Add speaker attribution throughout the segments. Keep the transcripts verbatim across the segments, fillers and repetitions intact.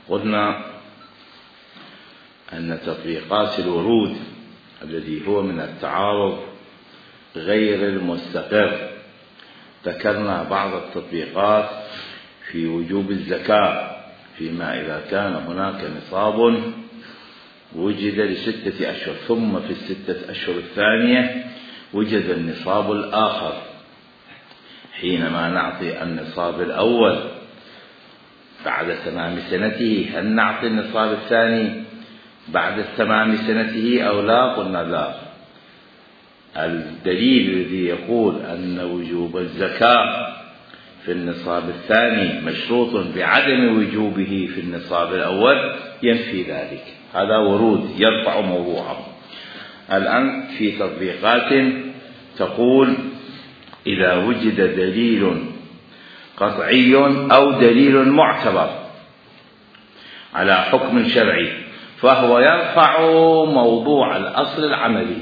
Speaker 1: قلنا أن تطبيقات الورود الذي هو من التعارض غير المستقر، ذكرنا بعض التطبيقات في وجوب الزكاة فيما إذا كان هناك نصاب وجد لستة أشهر ثم في الستة أشهر الثانية وجد النصاب الآخر، حينما نعطي النصاب الأول بعد تمام سنته هل نعطي النصاب الثاني بعد تمام سنته أو لا؟ قلنا لا. الدليل الذي يقول أن وجوب الزكاة في النصاب الثاني مشروط بعدم وجوبه في النصاب الأول ينفي ذلك، هذا ورود يرفع موضوعه. الآن في تطبيقات تقول إذا وجد دليل قطعي أو دليل معتبر على حكم شرعي فهو يرفع موضوع الأصل العملي.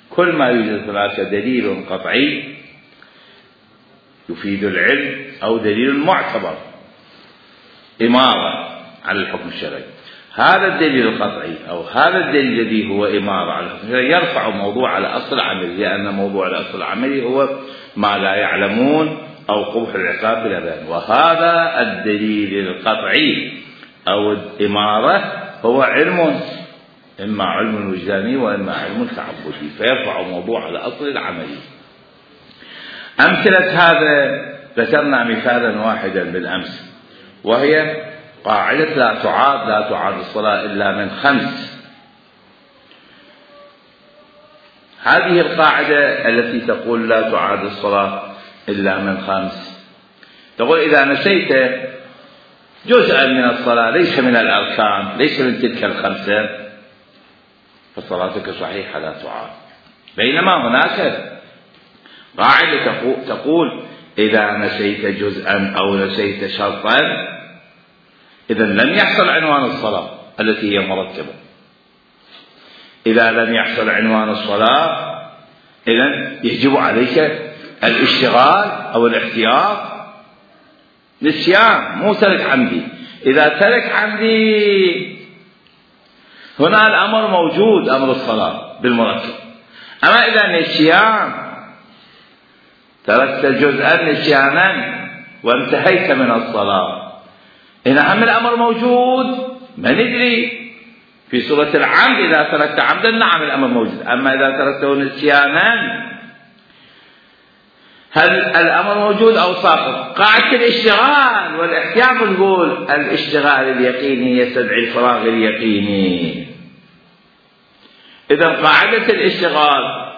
Speaker 1: كل ما يوجد هناك دليل قطعي يفيد العلم أو دليل معتبر إمارة على الحكم الشرعي، هذا الدليل القطعي أو هذا الدليل الذي هو إمارة على الحكم الشرعي يرفع موضوع الأصل العملي، لأن موضوع الأصل العملي هو ما لا يعلمون أو قبح العقاب بلا بيان، وهذا الدليل القطعي أو الإمارة هو علم، إما علم وجداني وإما علم تعبدي، فيرفع موضوع الأصل العملي. أمثلة هذا ذكرنا مثالا واحدا بالأمس، وهي قاعدة لا تعاد لا تعاد الصلاة إلا من خمس. هذه القاعدة التي تقول لا تعاد الصلاة إلا من خمس تقول إذا نسيت جزءا من الصلاة ليس من الأركان ليس من تلك الخمسة فصلاتك صحيحة لا تعاد، بينما هناك قاعدة تقول إذا نسيت جزءا أو نسيت شرطا إذا لم يحصل عنوان الصلاة التي هي مرتبة. إذا لم يحصل عنوان الصلاة إذا يجب عليك الاشتغال أو الاحتياط. نسيان مو ترك عمدي، إذا ترك عمدي هنا الأمر موجود أمر الصلاة بالمرتب، أما إذا نسيان تركت جزءا نسيانا وانتهيت من الصلاة هنا هم الأمر موجود ما ندري. في سورة العمد إذا تركت عمدا نعم الأمر موجود، أما إذا تركته نسيانا هل الأمر موجود أو ساقط؟ قاعدة الاشتغال والاحتياط نقول الاشتغال اليقيني يستدعي الفراغ اليقيني. إذا قاعدة الاشتغال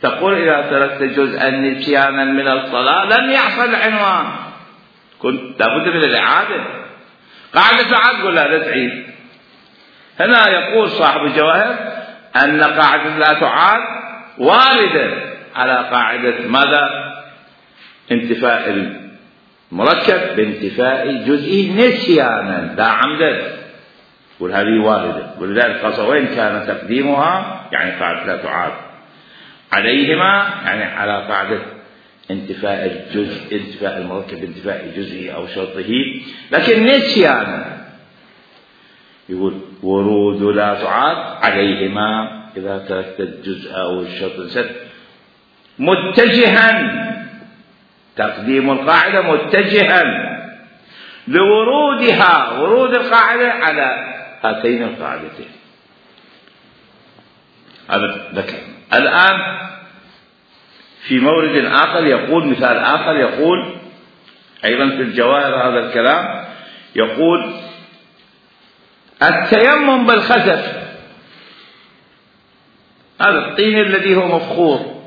Speaker 1: تقول إذا تركت جزءا نسيانا من الصلاة لم يحصل عنوان، كنت لابد من الإعادة. قاعدة العاد تقول لا لا تعيد. هنا يقول صاحب الجواهر أن قاعدة لا تعاد واردة على قاعدة ماذا؟ انتفاء المركب بانتفاء جزئه نسيانا لا عمدا، وهذه واردة، ولذلك قال وين كان تقديمها يعني قاعدة لا تعاد عليهما يعني على قاعدة انتفاء الجزء انتفاء المركب بانتفاء جزئه أو شرطه، لكن نسيانا يقول ورود لا تعاد عليهما إذا تركت الجزء أو الشرط نسيت متجها. تقديم القاعدة متجها لورودها ورود القاعدة على هاتين القاعدتين. هذا ذكر. الآن في مورد آخر يقول مثال آخر يقول أيضا في الجواهر هذا الكلام يقول التيمم بالخزف، هذا الطين الذي هو مفخور،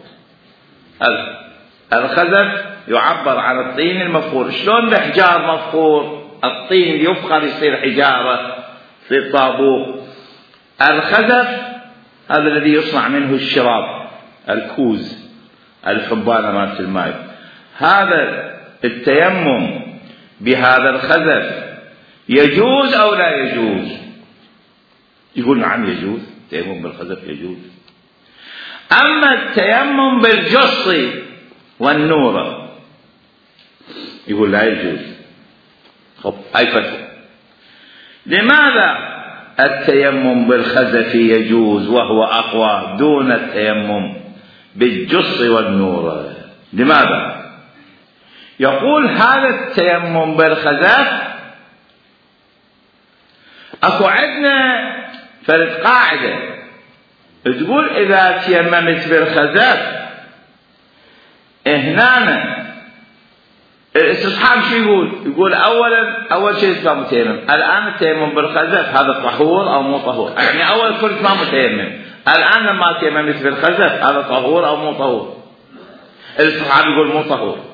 Speaker 1: الخزف يعبر عن الطين المفخور. شلون الحجار مفخور؟ الطين يفخر يصير حجارة يصير طابوق. الخزف هذا الذي يصنع منه الشراب الكوز الحبانة مالت الماء. هذا التيمم بهذا الخزف يجوز أو لا يجوز؟ يقول نعم يجوز، التيمم بالخزف يجوز. أما التيمم بالجص والنورة يقول لا يجوز. خب أي فتوى؟ لماذا التيمم بالخزف يجوز وهو أقوى دون التيمم بالجص والنور؟ لماذا؟ يقول هذا التيمم بالخزف اكو عندنا فرد قاعدة تقول اذا تيممت بالخزف هنا الاستصحاب شو يقول؟ يقول اولا اول شيء اسمه متيمم. الان التيمم بالخزف هذا طهور او مو طهور؟ يعني اول كنت ما متيمم، الان لما تيممت بالخزف هذا طهور او مو طهور؟ الاستصحاب يقول مو طهور.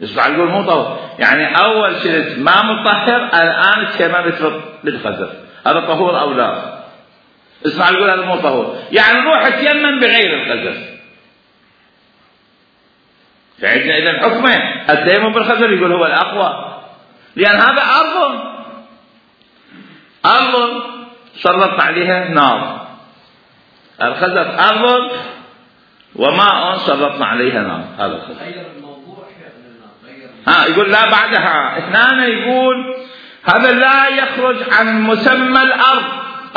Speaker 1: الاستصحاب يقول مو طهور، يعني اول شيء ما مطهر، الان تيممت بالخزف هذا طهور او لا؟ الاستصحاب يقول هذا مو طهور، يعني روح تيمم بغير الخزف. فعندنا إذا حكمه التيمم بالخزف يقول هو الأقوى، لأن هذا أرض أرض سلط عليها نار. الخزف أرض وماء سلطنا عليها نار. هذا الخزف. ها يقول لا بعدها اثنان، يقول هذا لا يخرج عن مسمى الأرض.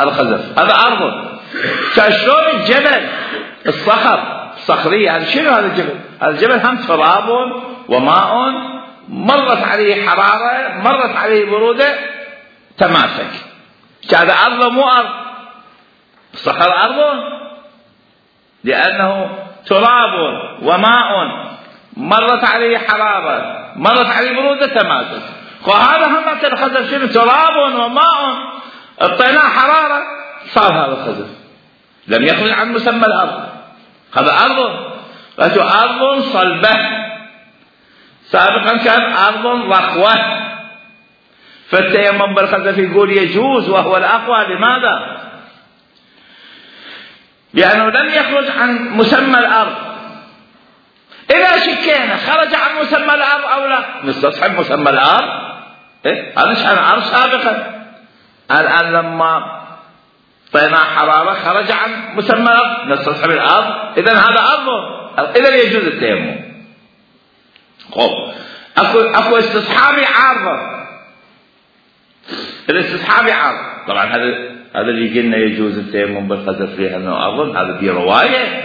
Speaker 1: الخزف هذا أرض كشلون الجبل الصخر صخرية. هذا شنو هذا الجبل؟ هذا الجبل هم تراب وماء مرت عليه حرارة مرت عليه برودة تماسك. هذا أرض مو أرض. الصخر أرض لأنه تراب وماء مرت عليه حرارة مرت عليه برودة تماسك. وهذا هم الخزف شنو؟ تراب وماء اعطيناه حرارة صار هذا الخزف، لم يخرج عن مسمى الأرض. هذا أرض أرض صلبة، سابقا كان أرض رخوة. فالتيمم بالخزف يقول يجوز وهو الأقوى. لماذا؟ لأنه لم يخرج عن مسمى الأرض. إذا شكينا خرج عن مسمى الأرض أو لا، نستصحب مسمى الأرض. إيه؟ هذا شأن الأرض سابقا. الآن لما طينا حرارة خرج عن مسمى الأرض نستصحب الأرض. إذن هذا أرض، إذن يجوز التيمم. خب أكو أكو استصحابي عارضة. الاستصحابي عارض طبعا هذا هذا اللي قلنا يجوز التيمم بالخزف لأنه أرض. هذا في رواية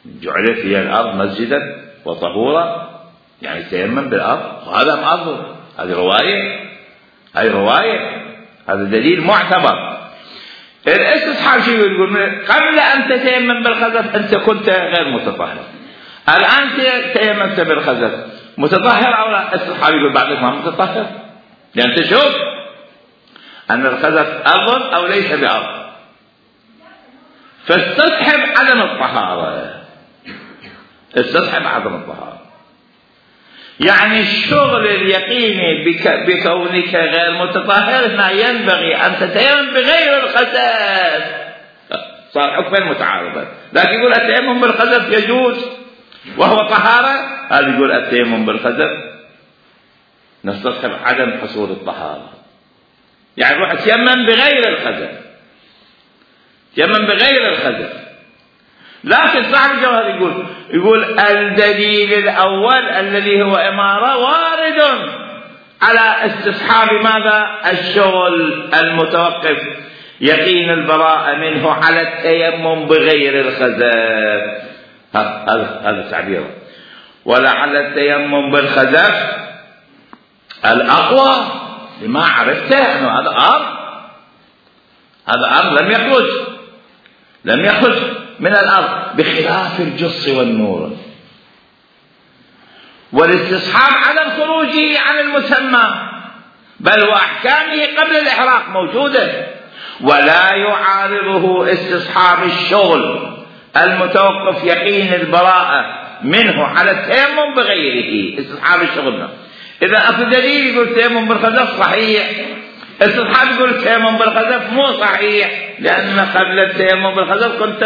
Speaker 1: جعلت فيها الأرض مسجدا وطهورا، يعني تيمم بالأرض وهذا أرض. هذه رواية، هذه رواية، هذا دليل معتبر. الاستصحاب شو يقول؟ قبل أن تتيمم بالخزف أنت كنت غير متطهر، الآن تيممت بالخزف متطهر أو لا؟ الاستصحاب يقول بعدك ما متطهر، لأن تشوف أن الخزف أرض أو ليس بأرض. فاستصحب عدم الطهارة، استصحب عدم الطهارة. يعني الشغل اليقيني بك بكونك غير متطهر هنا ينبغي أن تتيمم بغير الخزف. صار حكما متعارضا. لكن يقول التيمم بالخزف يجوز وهو طهارة، هذا يقول التيمم بالخزف نستصحب عدم حصول الطهارة. يعني روح تيمم بغير الخزف، تيمم بغير الخزف. لكن صاحب الجوهر يقول يقول الدليل الأول الذي هو إمارة وارد على استصحاب ماذا؟ الشغل المتوقف يقين البراءة منه على التيمم بغير الخزف. هذا هذا تعبيره. ولعل التيمم بالخزف الأقوى لما عرفته أنه هذا أرض، هذا أرض لم يخرج لم يخرج من الأرض بخلاف الجص والنور. والاستصحاب عدم خروجه عن المسمى بل وأحكامه قبل الإحراق موجودة، ولا يعارضه استصحاب الشغل المتوقف يقين البراءة منه على التيمم بغيره. استصحاب الشغل إذا أكو دليل يقول التيمم بالخزف صحيح، استصحاب يقول التيمم بالخزف مو صحيح، لأن قبل التيمم بالخزف كنت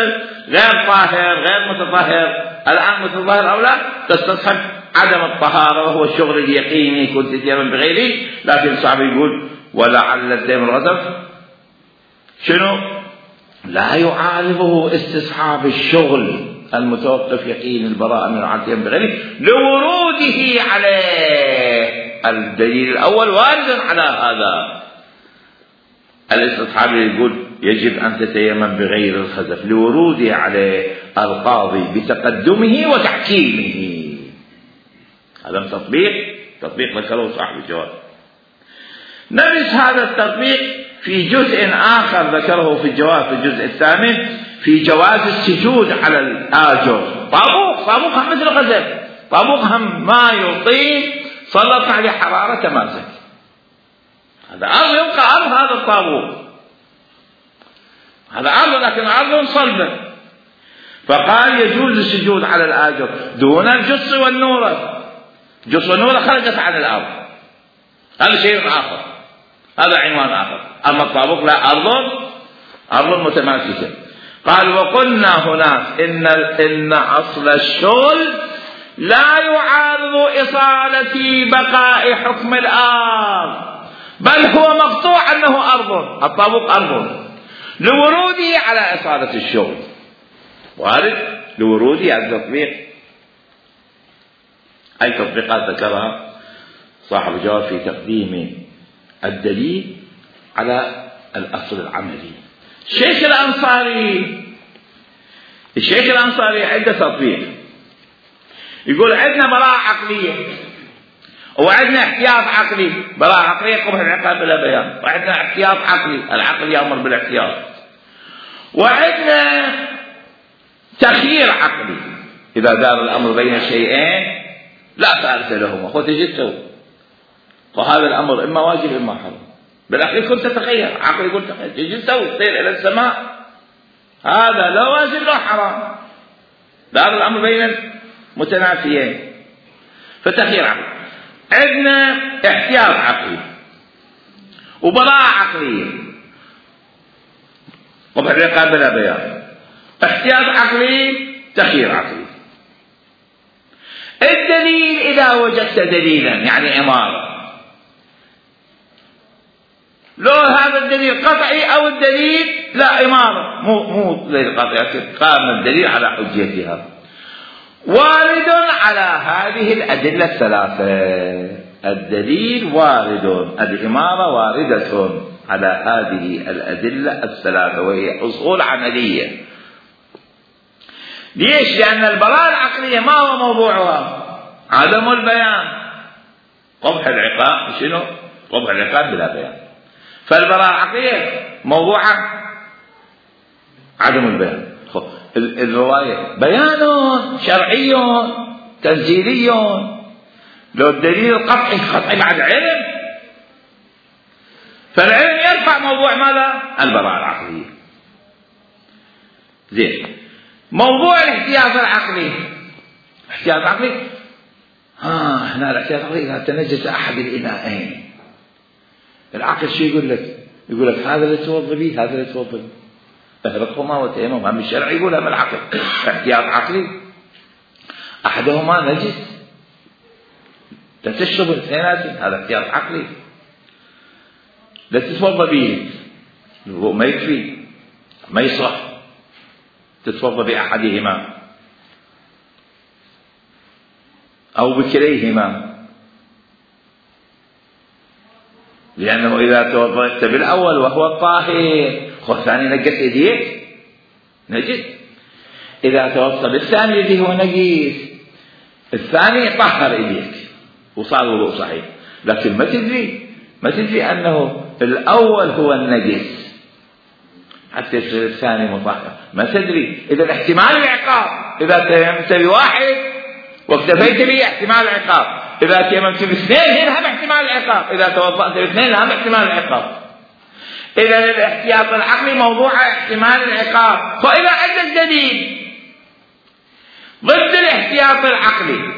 Speaker 1: غير طاهر غير متطهر، الآن متطهر أو لا تستصحب عدم الطهارة وهو الشغل اليقيني كنت تيمم بغيره. لكن صعب يقول ولعل التيمم بالخزف شنو؟ لا يعارضه استصحاب الشغل المتوقف يقين البراءة من التيمم بغيره لوروده عليه. الدليل الأول وارد على هذا. الاستصحابي يقول يجب أن تتيمم بغير الخزف لوروده على القاضي بتقدمه وتحكيمه. هذا تطبيق تطبيق ذكره صاحب الجواب. نرث هذا التطبيق في جزء آخر ذكره في الجواب في الجزء الثامن في جواز السجود على الآجر. طابوق طابوق هم مثل الخزف، طابوق هم ما يطيق سلط عليه حرارة تماسك، هذا أرض يبقى أرض هذا الطابوق، هذا أرض لكن أرض صلبة. فقال يجوز السجود على الآجر دون الجص والنورة. الجص والنورة خرجت عن الأرض، هذا شيء آخر، هذا عنوان آخر. أما الطابوق لا، أرض أرض متماسكة. قال وقلنا هناك إن إن أصل الشغل لا يعارض إصالة بقاء حكم الأرض، بل هو مقطوع أنه أرض، الطابوق أرض لوروده على إصالة الشغل، وارد لوروده على التطبيق. أي تطبيقات ذكرها صاحب الجواب في تقديم الدليل على الأصل العملي. الشيخ الأنصاري الشيخ الأنصاري عنده تطبيق، يقول عندنا براءة عقلية وعندنا احتياط عقلي. براءة عقلية قبح العقاب بلا بيان، وعندنا احتياط عقلي، العقل يأمر بالاحتياط، وعندنا تخيير عقلي. إذا دار الأمر بين شيئين لا ثالث لهما، خذ تجي تسوي، وهذا الأمر إما واجب إما حرام. بالأخير كنت تتخير، عقل يقول تخير، تجي تسوي تطير إلى السماء، هذا لا واجب لا حرام، دار الأمر بين متنافيين، فتخير عقلي. عندنا احتياط عقلي وبراءة عقلية، قبح العقاب بلا بيان، احتياط عقلي تخيير عقلي. الدليل إذا وجدت دليلا يعني إمارة، لو هذا الدليل قطعي أو الدليل لا إمارة، مو مو دليل قطعي، قام الدليل على حجيتها، وارد على هذه الأدلة الثلاثة. الدليل وارد، الإمارة واردة على هذه الأدلة الثلاثة، وهي أصول عملية. ليش؟ لأن البراءة العقلية ما هو موضوعها؟ عدم البيان، قبح العقاب. شنو؟ قبح العقاب بلا بيان. فالبراءة العقلية موضوعها عدم البيان. الرواية بيان شرعي تنزيلي، لو الدليل قطعي قطعي بعد علم، فالعلم يرفع موضوع ماذا؟ البراءة العقلية. زين، موضوع الاحتياط العقلي، احتياط عقلي ها هنا الاحتياط العقلي إذا تنجس أحد الإناءين، العقل شو يقول لك؟ يقول لك هذا اللي توضى به، هذا اللي توضى به، اهرقهما وتيمم. هم الشرع يقول هم العقل احتياط عقلي، أحدهما نجس لا تشرب الاثنين، هذا احتياط عقلي. لا تتوضى به، الوضوء ما يكفي ما يصح، تتوضى بأحدهما أو بكليهما، لأنه إذا توضأت بالأول وهو الطاهر والثاني نجس يديك نجس، إذا توضأت بالثاني يديه هو نجس، الثاني طهر يديك وصار الوضوء صحيح. لكن ما تدري ما تدري أنه الأول هو النجس حتى يصير الثاني مطهر، ما تدري. إذا احتمال العقاب، إذا تيممت بواحد واكتفيت به احتمال العقاب، إذا تيممت باثنين هم احتمال العقاب، إذا توضأت باثنين هم احتمال العقاب. إذا الاحتياط العقلي موضوع احتمال العقاب. فإذا عندك دليل ضد الاحتياط العقلي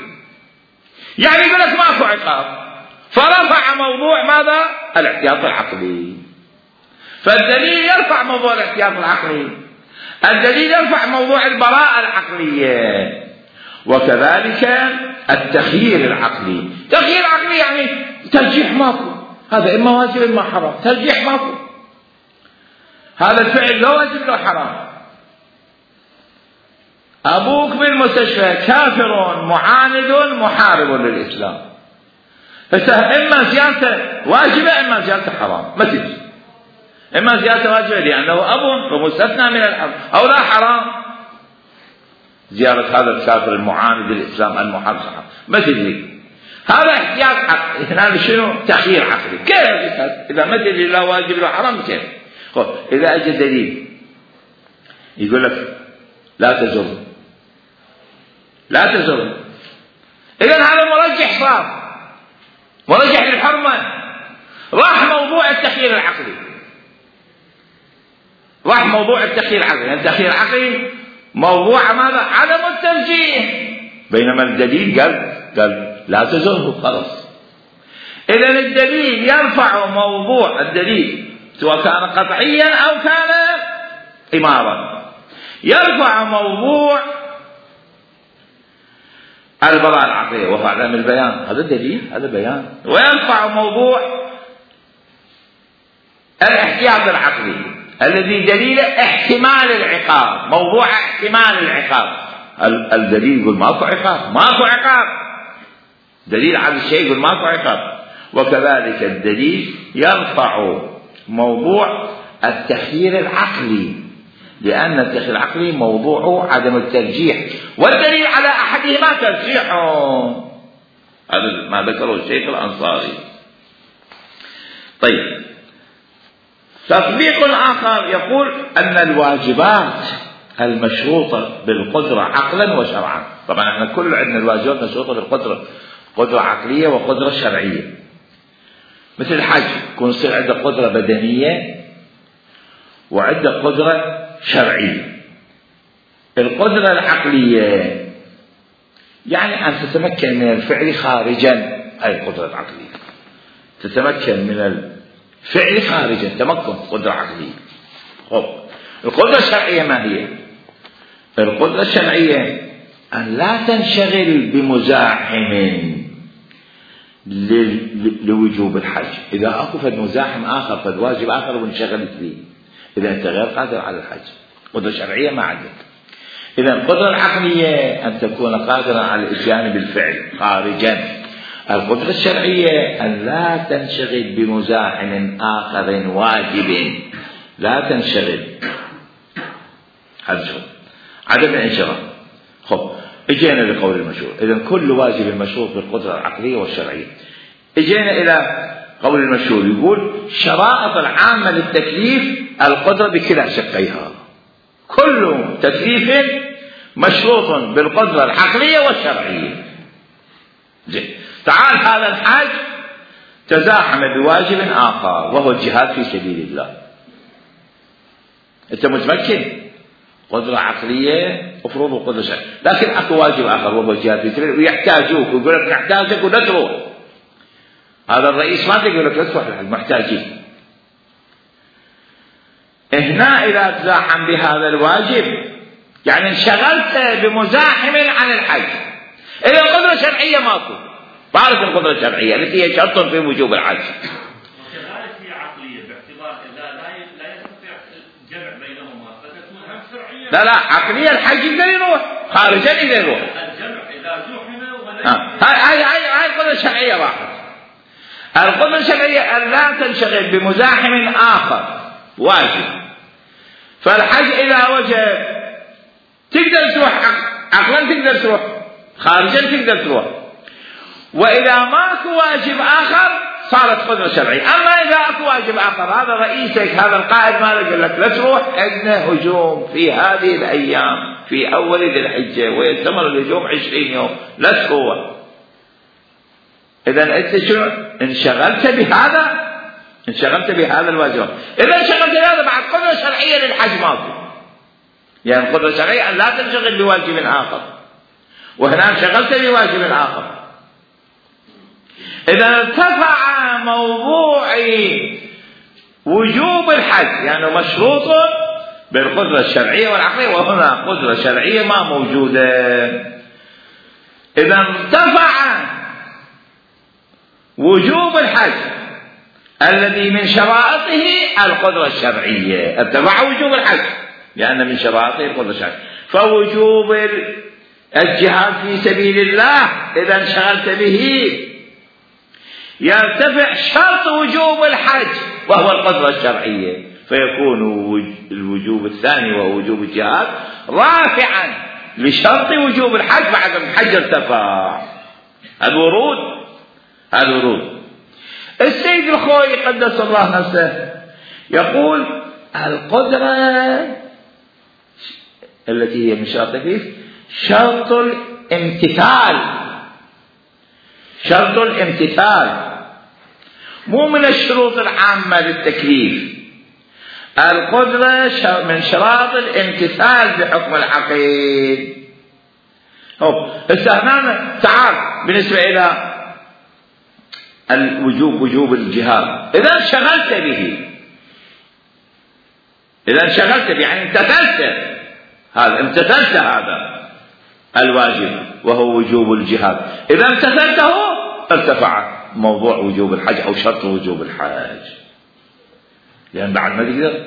Speaker 1: يعني يقول لك ماكو عقاب، فرفع موضوع ماذا؟ الاحتياط العقلي. فالدليل يرفع موضوع الاحتياط العقلي، الدليل يرفع موضوع البراءة العقلية، وكذلك التخيير العقلي. تخيير عقلي يعني ترجيح ماكو، هذا إما واجب إما حرام، ترجيح ماكو، هذا الفعل لا واجب لا حرام. أبوك بالمستشفى كافر معاند محارب للإسلام، إما زيارته واجبة إما زيارته حرام، ما تجي إما زيارة واجبة لأنه أب ومستثنى من الحرم، أو لا حرام زيارة هذا الكافر المعاند للإسلام المحرم. ما تدري هذا احتياط عقلي. هنا شنو؟ تخيير عقلي. كيف إذا ما تدري لا واجب لا حرام كيف؟ إذا أجى دليل يقول لك لا تزر لا تزر، إذن هذا مرجح صار مرجح للحرمة، راح موضوع التخيير العقلي، راح موضوع التخيير العقلي. يعني التخيير العقلي موضوع ماذا؟ عدم الترجيح، بينما الدليل قال قال لا تزره خلاص. إذن الدليل يرفع موضوع الدليل سواء كان قطعيا أو كان إمارا، يرفع موضوع البراءة العقلية وهو عدم البيان، هذا دليل هذا بيان، ويرفع موضوع الاحتياط العقلي الذي دليل احتمال العقاب، موضوع احتمال العقاب. الدليل يقول ماكو عقاب، ماكو عقاب، دليل على الشيء يقول ماكو عقاب. وكذلك الدليل يرفع موضوع التخيير العقلي، لأن التخيير العقلي موضوعه عدم الترجيح، والدليل على أحدهما ترجيحه، هذا ما ذكره الشيخ الأنصاري. طيب، تطبيق آخر يقول أن الواجبات المشروطة بالقدرة عقلا وشرعا، طبعا احنا كل عندنا الواجبات مشروطة بالقدرة، قدرة عقلية وقدرة شرعية. مثل الحج يكون يصير عنده قدرة بدنية وعنده قدرة شرعية. القدرة العقلية يعني أن تتمكن من الفعل خارجا، هاي القدرة العقلية، تتمكن من الفعل خارجا، تمكن قدرة عقلية. خب القدرة الشرعية ما هي؟ القدرة الشرعية أن لا تنشغل بمزاحم لوجوب الحج. إذا أكو فد مزاحم آخر فد واجب آخر وانشغلت به، إذا أنت غير قادر على الحج، قدرة شرعية ما عندك. إذا القدرة العقلية أن تكون قادرا على الإتيان بالفعل خارجا. القدرة الشرعية أن لا تنشغل بمزاحم آخر واجب، لا تنشغل، هذا عدم الانشغال. خب اجينا لقول المشروع. إذا كل واجب مشروط بالقدرة العقلية والشرعية. اجينا إلى قول المشهور يقول شرائط العامة للتكليف القدرة بكلا شقيها، كل تكليف مشروط بالقدرة العقلية والشرعية. زين، تعال هذا الحاج تزاحم بواجب آخر وهو الجهاد في سبيل الله. أنت متمكن قدرة عقلية وفروض وقدرة شرعية، لكن أكو واجب آخر وهو الجهاد في سبيل الله ويحتاجوك ويقول لك نحتاجك ولا تروح. هذا الرئيس ما يقول لك لا تروح المحتاجين. هنا إذا تزاحم بهذا الواجب يعني انشغلت بمزاحم عن الحج. إذا القدرة الشرعية ماكو، بعرف القدرة الشرعية التي هي شرط في وجوب الحج.
Speaker 2: وكذلك هي عقلية باعتبار لا لا يستطيع الجمع بينهما فتكون هم شرعية.
Speaker 1: لا لا، عقلية الحج يقدر يروح، خارجا يقدر يروح.
Speaker 2: الجمع إذا زحم وليس.
Speaker 1: هاي هاي هاي القدرة الشرعية راحت. القدرة الشرعية أن لا تنشغل بمزاحم آخر واجب. فالحج إذا وجب تقدر تروح عقلا، تقدر تروح خارجا، تقدر تروح. وإذا ماكو واجب آخر صارت قدرة شرعية. أما إذا أكو واجب آخر، هذا رئيسك هذا القائد ما يقول لك لا تروح، عندنا هجوم في هذه الأيام في أول ذي الحجة ويستمر الهجوم عشرين يوم، لا تروح. إذا أنت شنو؟ انشغلت بهذا، انشغلت بهذا الواجب. إذا انشغلت بهذا بعد قدرة شرعية للحج ماكو. يعني القدرة الشرعية أن لا تنشغل بواجب آخر، وهنا انشغلت بواجب آخر. إذا ارتفع موضوع وجوب الحج يعني مشروط بالقدرة الشرعية والعقلية، وهنا قدرة شرعية ما موجودة. إذا ارتفع وجوب الحج الذي من شرائطه القدرة الشرعية، ارتفع وجوب الحج لأن من شرائطه القدرة الشرعية. فوجوب الجهاد في سبيل الله إذا انشغلت به يرتفع شرط وجوب الحج وهو القدرة الشرعية. فيكون الوجوب الثاني وهو وجوب الجهاد رافعا لشرط وجوب الحج بعد ما الحج ارتفع. هذا ورود، هذا ورود. السيد الخوئي قدس الله نفسه يقول القدرة التي هي من شرط التكليف شرط الامتثال، شرط الامتثال مو من الشروط العامة للتكليف. القدرة من شراط الامتثال بحكم العقيد. هنا تعال بالنسبة إلى الوجوب، وجوب الجهاد، إذا انشغلت به، إذا انشغلت به يعني امتثلت، هذا امتثلت هذا الواجب وهو وجوب الجهاد، إذا امتثلته ارتفع موضوع وجوب الحج أو شرط وجوب الحج، لأن بعد ما تقدر.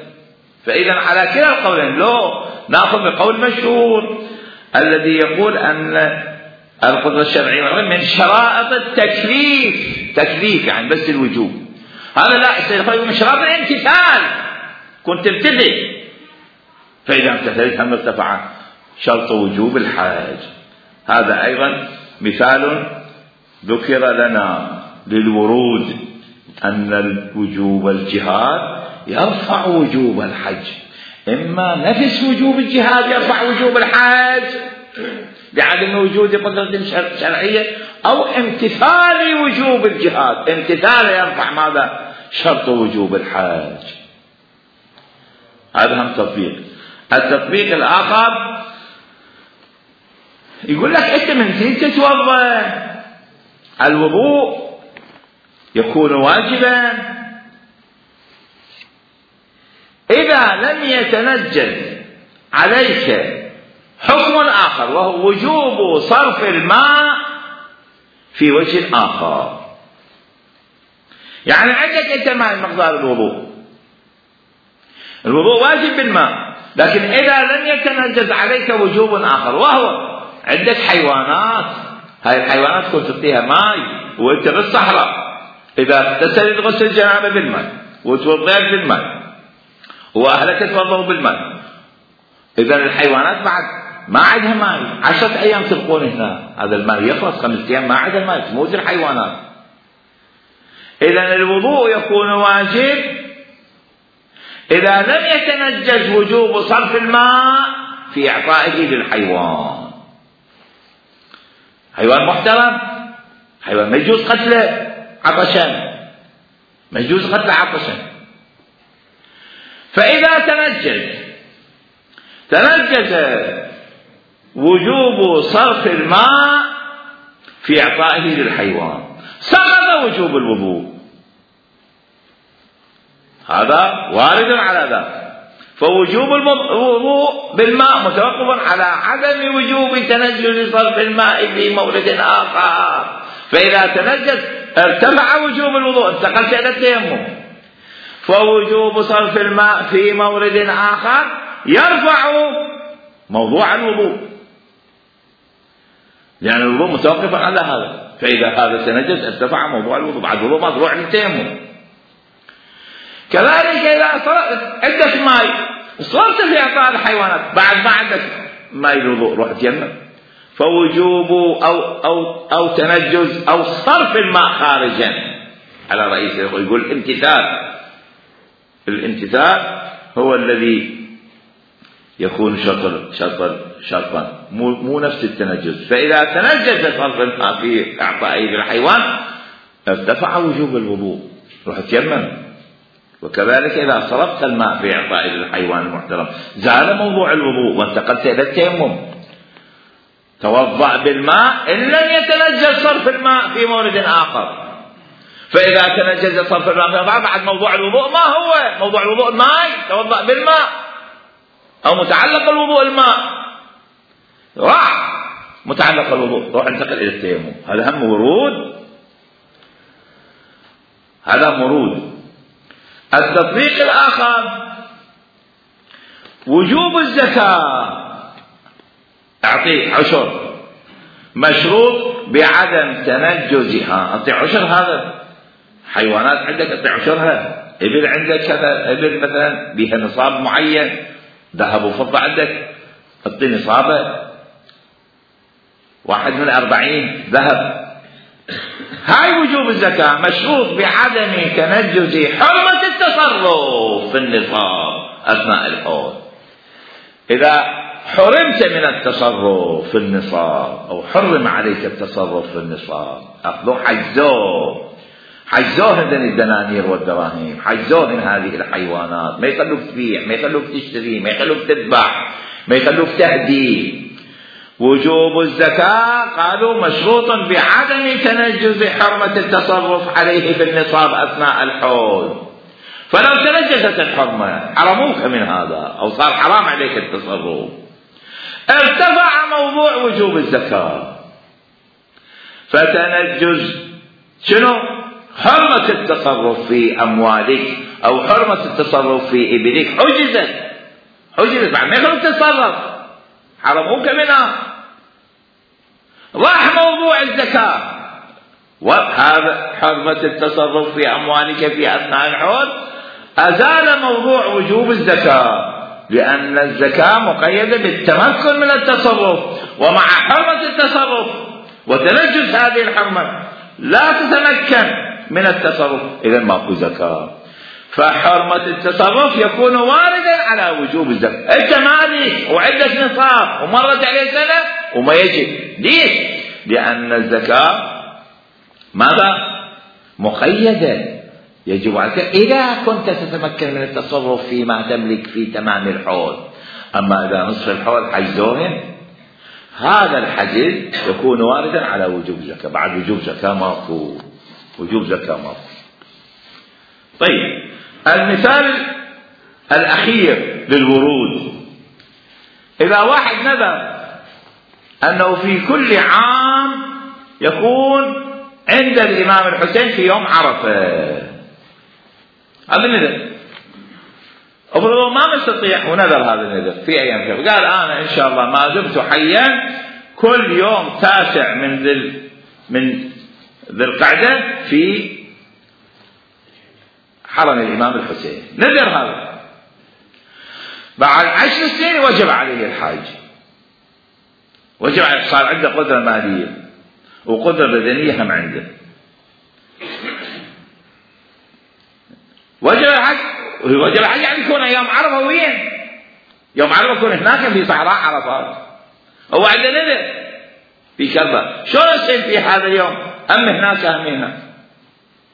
Speaker 1: فإذا على كلا القولين لو نأخذ بقول مشهور الذي يقول أن القدرة الشرعية من شرائط التكليف، تكليف يعني بس الوجوب، هذا لا يقول من شرائط الامتثال، كنت تمتثل، فإذا امتثلت هم ارتفع شرط وجوب الحج. هذا أيضا مثال ذكر لنا للورود أن الوجوب الجهاد يرفع وجوب الحج، إما نفس وجوب الجهاد يرفع وجوب الحج بعدم وجود قدرة شرعية، أو امتثال وجوب الجهاد، امتثال يرفع ماذا؟ شرط وجوب الحج. هذا هم تطبيق. التطبيق الآخر يقول لك أنت من زين تتوضأ، الوضوء يكون واجبا إذا لم يتنجل عليك حكم آخر وهو وجوب صرف الماء في وجه آخر. يعني عندك أنت ماء مقدار الوضوء، الوضوء واجب بالماء، لكن إذا لم يتنجز عليك وجوب آخر وهو عندك حيوانات، هاي الحيوانات كنت تعطيها ماء وأنت بالصحراء، إذا اغتسلت غسل الجنابة بالماء وتوضيت بالماء وأهلك توضوا بالماء، إذا الحيوانات بعد ما عندها ماء، عشرة أيام تبقون هنا، هذا الماء يخلص خمسة أيام ما عندها ماء تموت الحيوانات. إذا الوضوء يكون واجب إذا لم يتنجز وجوب صرف الماء في إعطائه للحيوان. حيوان محترم، حيوان ما يجوز قتله عطشا، ما يجوز قتله عطشا. فإذا تنجز تنجز وجوب صرف الماء في إعطائه للحيوان، سقط وجوب الوضوء، هذا وارد على ذلك. فوجوب الوضوء بالماء متوقف على عدم وجوب تنجز صرف الماء في مورد آخر، فإذا تنجز ارتفع وجوب الوضوء، انتقلت إلى التيمم. فوجوب صرف الماء في مورد آخر يرفع موضوع الوضوء، لأن الوضوء متوقف على هذا، فإذا هذا تنجز ارتفع موضوع الوضوء، بعد الوضوء مطلوع للتيمم. كذلك إذا صرفت عندك ماء صرت في إعطاء الحيوانات، بعد ما عندك ماء الوضوء روح تيمم، فوجوب أو أو أو تنجز أو صرف الماء خارجا على رئيسه، يقول امتثال. الامتثال هو الذي يكون شرطا شرطا شرطا مو مو نفس التنجز. فإذا تنجز صرف الماء في إعطائه للحيوان ارتفع وجوب الوضوء، روح تيمم. وكذلك إذا صرفت الماء في إعطائه للحيوان المحترم زال موضوع الوضوء وانتقلت إلى التيمم. توضأ بالماء إن لم يتنجز صرف الماء في مورد آخر، فإذا تنجز صرف الماء في آخر بعد موضوع الوضوء ما هو موضوع الوضوء الماء، توضأ بالماء أو متعلق الوضوء الماء، راح متعلق الوضوء روح انتقل إلى التيمم. هذا هم ورود، هذا مرود. التطبيق الآخر وجوب الزكاة، أعطيه عشر مشروط بعدم تنجزها، أعطي عشر، هذا حيوانات عندك أعطي عشرها، إبل عندك كذا إبل مثلا بها نصاب معين ذهب وفضة عندك اعطي نصابه واحد من أربعين ذهب. هاي وجوب الزكاة مشروط بعدم تنجز حرمة التصرف في النصاب أثناء الحول. إذا حرمت من التصرف في النصاب أو حرم عليك التصرف في النصاب أخذوه حجزوه حجزوه من الدنانير والدراهم، حجزوه من هذه الحيوانات، ما يخلوك تبيع، ما يخلوك تشتري، ما يخلوك تذبح، ما يخلوك تهدي. وجوب الزكاة قالوا مشروط بعدم تنجز حرمة التصرف عليه في النصاب أثناء الحول. فلو تنجزت الحرمة حرموك من هذا أو صار حرام عليك التصرف، ارتفع موضوع وجوب الزكاة. فتنجز شنو؟ حرمة التصرف في أموالك أو حرمة التصرف في إبلك حجزت حجزت بعد ما يخلوك تتصرف، حرموك منها. راح موضوع الزكاة، وهذا حرمة التصرف في أموالك في أثناء الحول أزال موضوع وجوب الزكاة، لأن الزكاة مقيدة بالتمكن من التصرف، ومع حرمة التصرف وتنجز هذه الحرمة لا تتمكن من التصرف، إذن ماكو زكاة. فحرمة التصرف يكون واردا على وجوب الزكاة. أنت مالك وعندك نصاب ومرت عليه سنة وما يجب. ليش؟ لأن الزكاة ماذا؟ مقيدة، يجب عليك إذا كنت تتمكن من التصرف فيما تملك في تمام الحول. أما إذا نصف الحول حجزوهن، هذا الحجز يكون واردا على وجوب الزكاة. بعد وجوب زكاة ماكو، وجوب زكاة ماكو. طيب المثال الأخير للورود، إذا واحد نذر أنه في كل عام يكون عند الإمام الحسين في يوم عرفة، هذا النذر أفضل ما مستطيع ونذر هذا النذر في أيام كذا، قال أنا إن شاء الله ما دمت حيا كل يوم تاسع من ذي من ذي القعدة في حرم الإمام الحسين، نذر هذا. بعد عشر سنين وجب عليه الحج، وجب عليه، صار عنده قدرة مالية وقدرة بدنية هم عنده، وجب الحج. وجب الحج يعني يكون يوم عرفة وين؟ يوم عرفة يكون هناك في صحراء عرفات، هو عنده نذر في كربلاء، شلون يصير في هذا اليوم؟ أم هناك أم هنا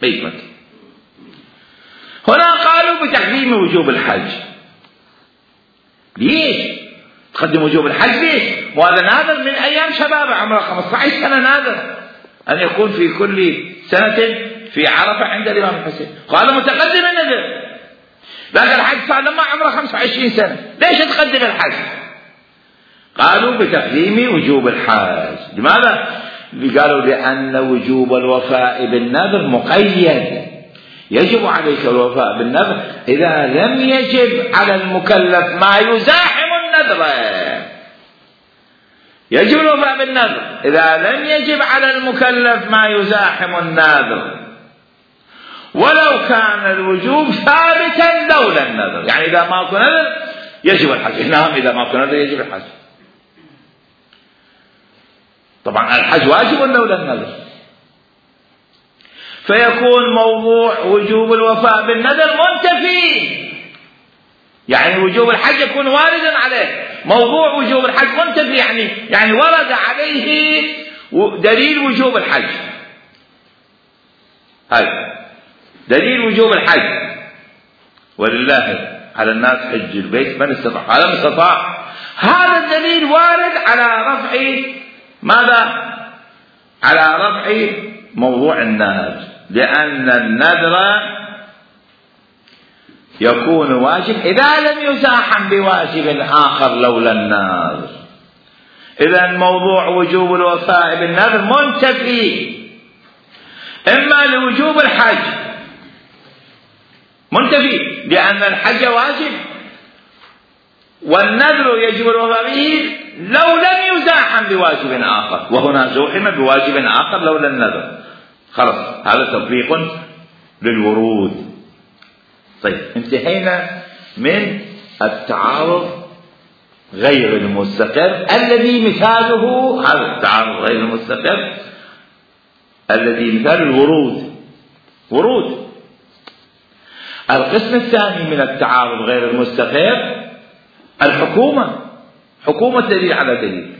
Speaker 1: بيت مكة. هنا قالوا بتقديم وجوب الحج. ليش تقدم وجوب الحج؟ ليش؟ وهذا نادر من أيام شبابه عمره خمسة عشر سنة، نادر أن يكون في كل سنة في عرفة عند الإمام الحسين. قالوا متقدم النذر، لكن الحج صار لما عمره خمسة وعشرين سنة، ليش تقدم الحج؟ قالوا بتقديم وجوب الحج. لماذا؟ قالوا لأن وجوب الوفاء بالنذر مقيد، يجب عليك الوفاء بالنذر إذا لم يجب على المكلف ما يزاحم النذر. يجب الوفاء بالنذر إذا لم يجب على المكلف ما يزاحم النذر، ولو كان الوجوب ثابتا لولا النذر. يعني إذا ما كان نذر يجب الحج، نعم إذا ما كان نذر يجب الحج. طبعا الحج واجب لولا النذر، فيكون موضوع وجوب الوفاء بالنذر منتفي. يعني وجوب الحج يكون واردا عليه، موضوع وجوب الحج منتفي، يعني يعني ورد عليه دليل وجوب الحج. هاي دليل وجوب الحج، ولله على الناس حج البيت من استطاع، هذا من استطاع. هذا الدليل وارد على رفع ماذا؟ على رفع موضوع النذر، لأن النذر يكون واجب إذا لم يزاحم بواجب آخر لولا النذر. إذا موضوع وجوب الوفاء بالنذر منتفي، إما لوجوب الحج منتفي لأن الحج واجب والنذر يجب الوفاء به لو لم يزاحم بواجب آخر، وهنا زوحم بواجب آخر لولا النذر. خلاص هذا تطبيق للورود. طيب انتهينا من التعارض غير المستقر الذي مثاله هذا التعارض غير المستقر الذي مثال الورود. ورود. القسم الثاني من التعارض غير المستقر الحكومة. حكومة دليل على دليل.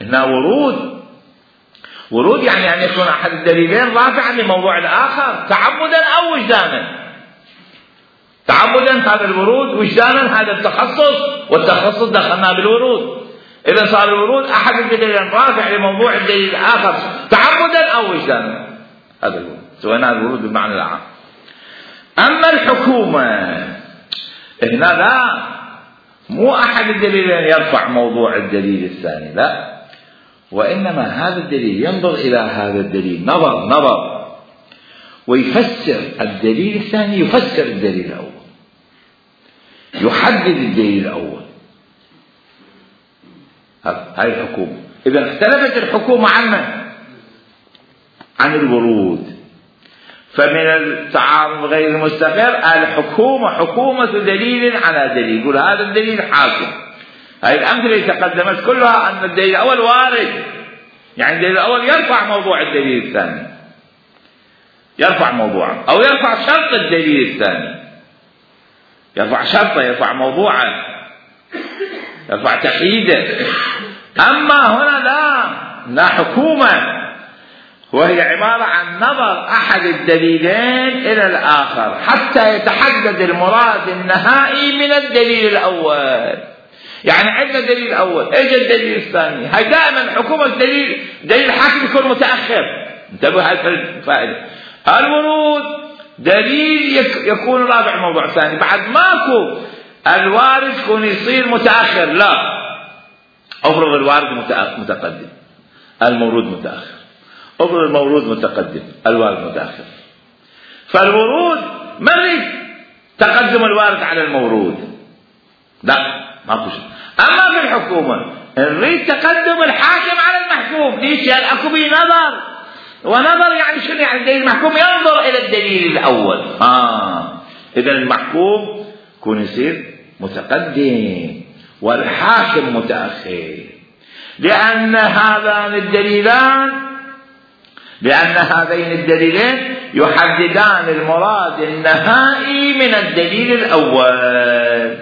Speaker 1: هنا ورود. ورود يعني أن يكون أحد الدليلين رافعا لموضوع الآخر تعمدا أو وجدانا. تعمدا هذا الورود، وجدانا هذا التخصص، والتخصص دخلنا بالورود. إذا صار الورود أحد الدليلين رافع لموضوع الدليل الآخر تعمدا أو وجدانا، هذا الورود، سوينا الورود بالمعنى العام. أما الحكومة هنا لا، مو أحد الدليلين يرفع موضوع الدليل الثاني، لا، وإنما هذا الدليل ينظر إلى هذا الدليل نظر نظر ويفسر الدليل الثاني، يفسر الدليل الأول، يحدد الدليل الأول. هاي الحكومة. إذا اختلفت الحكومة عنا عن الورود. فمن التعارض غير المستقر الحكومة حكومة دليل على دليل، يقول هذا الدليل حاكم. هاي الأمثلة اللي تقدمت كلها أن الدليل الأول وارد، يعني الدليل الأول يرفع موضوع الدليل الثاني، يرفع موضوعا أو يرفع شرط الدليل الثاني، يرفع شرطه، يرفع موضوعا، يرفع تحييده. أما هنا لا، لا حكومة، وهي عبارة عن نظر أحد الدليلين إلى الآخر حتى يتحدد المراد النهائي من الدليل الأول. يعني عندنا دليل أول، إجا الدليل الثاني. هاي دائما حكومة دليل دليل حاكم يكون متأخر. انتبهوا هذه الفائدة. الورود دليل يكون رابع موضوع ثاني، بعد ماكو الوارد يكون يصير متأخر، لا، أفرض الوارد متقدم المورود متأخر، أفرض المورود متقدم الوارد متأخر. فالورود ما نريد تقدم الوارد على المورود، لا، ماكو شيء. أما في الحكومة نريد تقدم الحاكم على المحكوم. ليش؟ يعني أكو به نظر، ونظر يعني شنو؟ يعني الدليل المحكوم ينظر إلى الدليل الأول. آه إذا المحكوم يكون يصير متقدم والحاكم متأخر، لأن هذان الدليلان لأن هذين الدليلين يحددان المراد النهائي من الدليل الأول.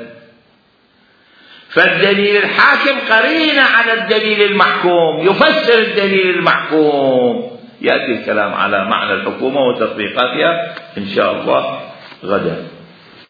Speaker 1: فالدليل الحاكم قرينة على الدليل المحكوم، يفسر الدليل المحكوم. يأتي الكلام على معنى الحكومة وتطبيقاتها إن شاء الله غدا.